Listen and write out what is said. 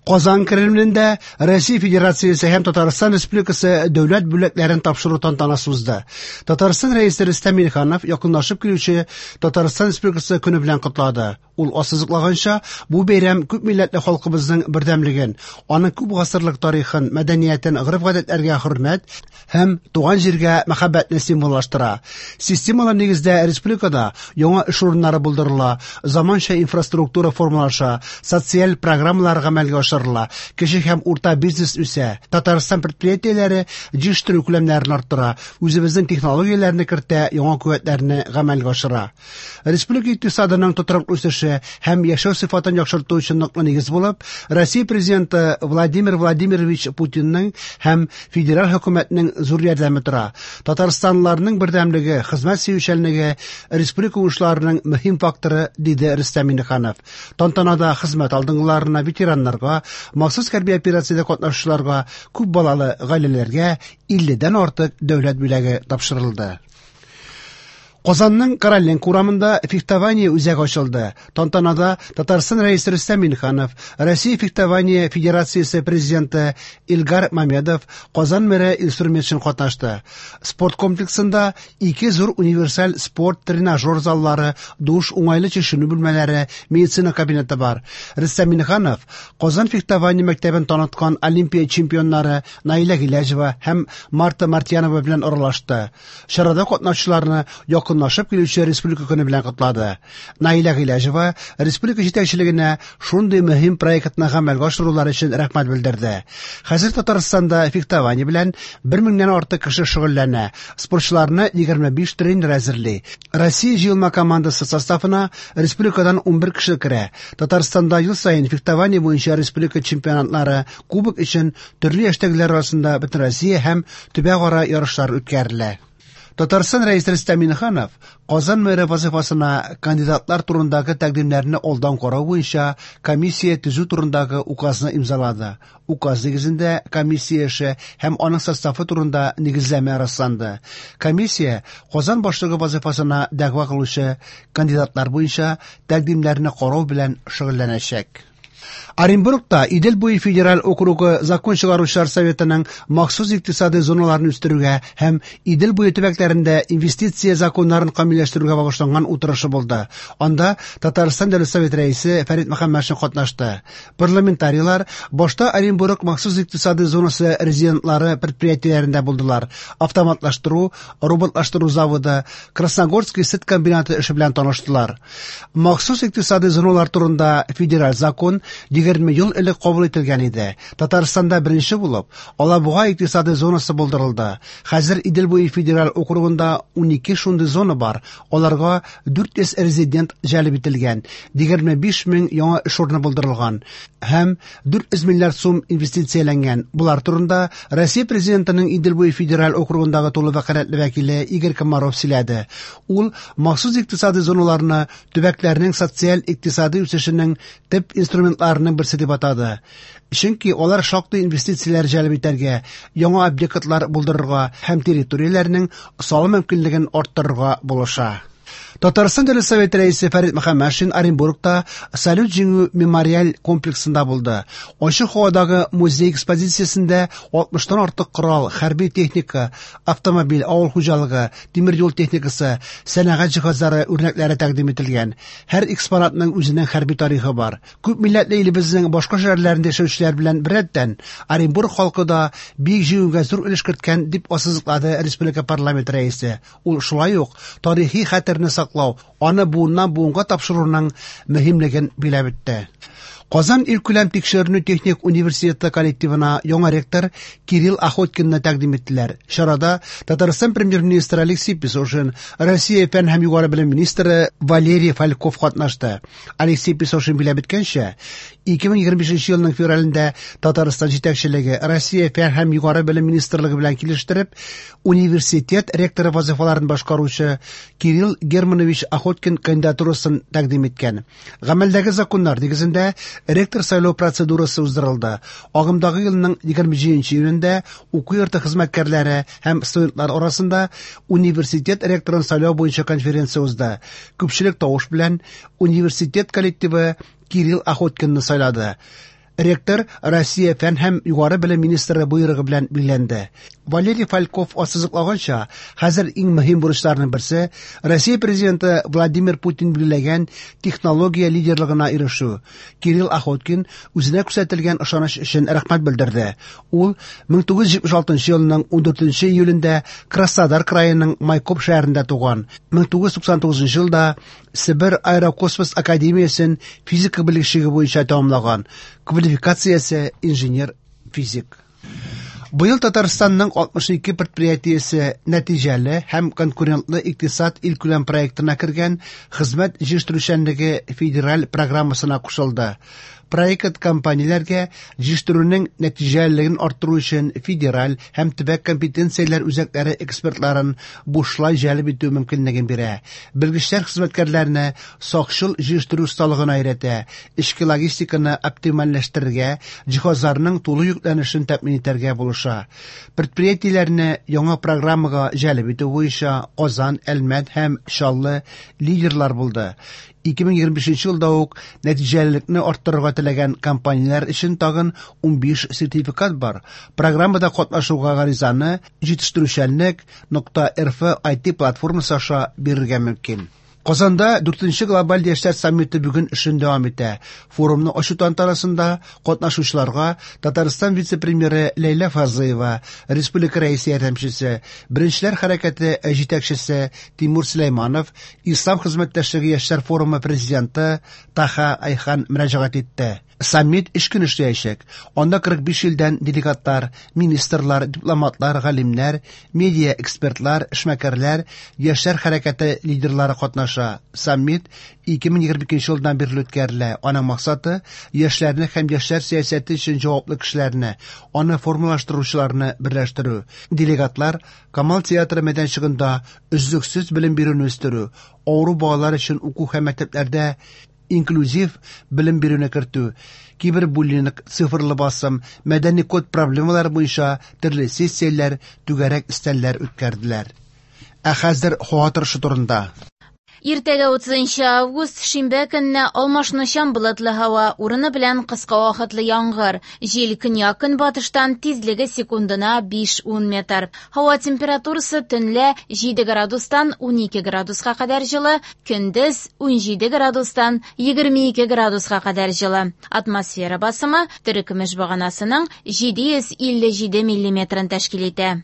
Казан Кремлендә Россия Федерациясе һәм Татарстан Республикасы дәүләт бүләкләрен тапшыру тантанасы узды. Татарстан Рәисе Рөстәм Миңнеханов якынлашып килүче Татарстан Республикасы көне белән котлады. Ул ассызыклаганча, бу бәйрәм күпмилләтле халкыбызның бердәмлеген, аның күп гасырлык тарихын, мәдәниятен, гореф-гадәтләргә хөрмәт һәм туган җиргә мәхәббәтне символлаштыра. Системалы нигездә республикада яңа эш урыннары булдырыла, заманча инфраструктура формалаша, социаль программалар гамәлгә ашырыла, кече һәм урта бизнес үсә, Татарстан предприятиеләре җитештерү күләмнәрен арттыра, үзебезнең технологияләрне кертә, яңа куәтләрне гамәлгә ашыра. Республика икътисадының тотрыклы үсеше һәм яшәү сыйфатын яхшырту өчен ныклы нигез булып, Россия Президенты Владимир Владимирович Путинның һәм федераль хөкүмәтнең зур ярдәме тора. Татарстанлыларның бердәмлеге, хезмәт сөючәнлеге республика уңышларының мөһим факторы, диде Рөстәм Миңнеханов. Тантанада хезмәт алдынгыларына, ветераннарга, махсус хәрби операциядә катнашучыларга, күп балалы гаиләләргә 50дән артык дәүләт бүләге тапшырылды. Казанның Короленко урамында фехтование үзәге ачылды. Тантанада Татарстан Рәисе Рөстәм Миңнеханов, Россия фехтование федерациясе президенты Илгар Мамедов, Казан мэры Илсур Метшин катнашты. Спорт комплексында ике зур универсаль спорт тренажер заллары, душ, уңайлы чишенү бүлмәләре, медицина кабинеты бар. Рөстәм Миңнеханов Казан фехтование мәктәбен таныткан Олимпия чемпионнары Наилә Гыйләҗева һәм Марта Мартьянова белән аралашты. Чарада катнашучыларны якынлашып килүче Республика көне белән котлады. Наилә Гыйләҗева республика җитәкчелегенә шундый мөһим проектны гамәлгә ашырулары өчен рәхмәт белдерде. Хәзер Татарстанда фехтование белән 1000 нән артык кеше шөгыльләнә. Спортчыларны 25 тренер әзерли. Россия җыелма командасы составына республикадан 11 кеше керә. Татарстанда ел саен фехтование буенча республика чемпионатлары, кубок өчен төрле яшьтәгеләр арасында Бөтенроссия һәм төбәкара ярышлар үткәрелә. Татарстан Рәисе Рөстәм Миңнеханов Казан мэры вазифасына кандидатлар турындагы тәкъдимнәрне алдан карау буенча комиссия төзү турындагы указны имзалады. Указ нигезендә комиссия эше һәм аның составы турында нигезләмә расланды. Комиссия Казан башлыгы вазифасына дәгъва кылучы кандидатлар буенча тәкъдимнәрне карау белән шөгыльләнәчәк. Оренбургта Идел буе федераль округы закон чыгаручылар советының махсус икътисадый зоналарын үстерүгә һәм Идел буе төбәкләрендә инвестиция законнарын камилләштерүгә багышланган утырышы булды. Анда Татарстан Дәүләт Советы рәисе Фәрит Мөхәммәтшин катнашты. Парламентарийлар башта Оренбург махсус икътисадый зонасы резидентлары предприятиеләрендә булдылар. Автоматлаштыру, роботлаштыру заводы, Красногорский сөт комбинаты эше белән таныштылар. Махсус икътисадый зоналар турында федераль закон 20 ел элек кабул ителгән иде. Татарстанда беренче булып Алабуга икътисадый зонасы булдырылды. Хәзер Идел буе федераль округында 12 шундый зона бар. Аларга 400 резидент җәлеп ителгән, 25 мең яңа эш урыны булдырылган һәм 400 миллиард сум инвестицияләнгән. Болар турында Россия Президентының Идел буе федераль округындагы тулы вәкаләтле вәкиле Игорь Комаров сөйләде. Ул махсус икътисадый зоналарны төбәкләрнең социаль-икътисадый үсешенең төп инструментларының берсе дип атады. Чөнки алар шактый инвестицияләр җәлеп итәргә, яңа объектлар булдырырга һәм территорияләрнең салым мөмкинлеген арттырырга булыша. Татарстан Дәүләт Советы рәисе Фәрит Мөхәммәтшин Оренбургта Салют җиңү мемориаль комплексында булды. Ачык һавадагы музей экспозициясендә 60тан артык корал, хәрби техника, автомобиль, авыл хуҗалыгы, тимер юл техникасы, сәнәгать җиһазлары үрнәкләре тәкъдим ителгән. Һәр экспонатның үзенең хәрби тарихы бар. Күп милләтле илебезнең башка шәһәрләрендә яшәүчеләр белән беррәттән, Оренбург халкы да Бөек Җиңүгә зур өлеш керткән, дип ассызыклады республика парламент рәисе. Ул шулай ук тарихи хәтерне саклау, аны буыннан буынга тапшыруның мөһимлеген биләп үтте. Казан илкүләм тикшеренү техник университеты коллективына яңа ректор Кирилл Охоткинны тәкъдим иттеләр. Чарада Татарстан премьер-министры Алексей Песошин, Россия фән һәм югары белем министры Валерий Фальков катнашты. Алексей Песошин биләп үткәнчә, 2025 елның февралендә Татарстан җитәкчелеге Россия фән һәм югары белем министрлыгы белән килештереп, университет ректоры вазифаларын башкаручы Кирилл Германович Охоткин кандидатурасын тәкъдим иткән. Гамәлдәге законнар нигезендә ректор сайлау процедурасы уздырылды. Агымдагы елның 27 июнендә уку йорты хезмәткәрләре һәм студентлар арасында университет ректорын сайлау буенча конференция узды. Күпчелек тавыш белән университет коллективы Кирилл Охоткинны сайлады. Ректор Россия фән һәм югары белем министры боерыгы белән билгеләнде. Валерий Фальков ассызыклаганча, хәзер иң мөһим бурычларның берсе Россия президенты Владимир Путин билгеләгән технология лидерлыгына ирешү. Кирилл Охоткин үзенә күрсәтелгән ышаныч өчен рәхмәт белдерде. Ул 1976 елның 14 июлендә Краснодар краеның Майкоп шәһәрендә туган. 1999 елда Себер аэрокосмос академиясен физика белгечлеге буенча тәмамлаган. Квалификациясе инженер-физик. Быел Татарстанның 62 предприятиесе нәтиҗәле һәм конкурентлы икътисад илкүләм проектына кергән хезмәт җитештерүчәнлеге федераль программасына кушылды. Проект компанияләргә җитештерүнең нәтиҗәлелеген арттыру өчен федераль һәм төбәк компетенцияләр үзәкләре экспертларын бушлай җәлеп итү мөмкинлеген бирә. Белгечләр хезмәткәрләрне сакчыл җитештерү осталыгына өйрәтә, эчке логистиканы оптимальләштерергә, җиһазларның тулы йөкләнешен тәэмин итәргә булыша. Предприятиеләрне яңа программага җәлеп итү буенча Казан, Әлмәт һәм Чаллы лидерлар булды. 2025 елда ук нәтиҗәлелекне арттырырга теләгән компанияләр өчен тагын 15 сертификат бар. Программада катнашуга гаризаны җитештерүчәнлек.рф IT платформасы аша бирергә мөмкин. Казанда 4нче глобаль яшьләр саммиты бүген эшен дәвам итә. Форумны ачу тантанасында катнашучыларга Татарстан вице-премьеры Ләйлә Фазлыева, республика рәисе ярдәмчесе, Беренчеләр хәрәкәте җитәкчесе Тимур Сөләйманов, Ислам хезмәттәшлеге яшьләр форумы президенты Таха Айхан мөрәҗәгать итте. Саммит өч көн эшләячәк. Анда 45 илдән делегатлар, министрлар, дипломатлар, галимнәр, медиа экспертлар, эшмәкәрләр, яшьләр хәрәкәте лидерлары катнаша. Саммит 2022 елдан бирле үткәрелә. Аның максаты яшьләрне һәм яшьләр сәясәте өчен җаваплы кешеләрне, аны формалаштыручыларны берләштерү. Делегатлар Камал театры мәйданчыгында өзлексез белем бирүне үстерү, авыру балалар өчен уку һәм мәктәпләрдә инклюзив белем бирүне кертү, кибербуллинг, цифрлы басым, мәдәни код проблемалары буенча төрле сессияләр, түгәрәк өстәлләр үткәрделәр. Ә хәзер һава торышы турында. Иртәгә 30 август шимбә көнне алмашынучан болытлы һава, урыны белән кыска вакытлы яңгыр. Җил көньяк-көнбатыштан тизлеге секундына 5-10 метр. Һава температурасы төнлә 7 градустан 12 градуска кадәр җылы, көндез 17 градустан 22 градуска кадәр җылы. Атмосфера басымы терекөмеш баганасының 757 миллиметрын тәшкил итә.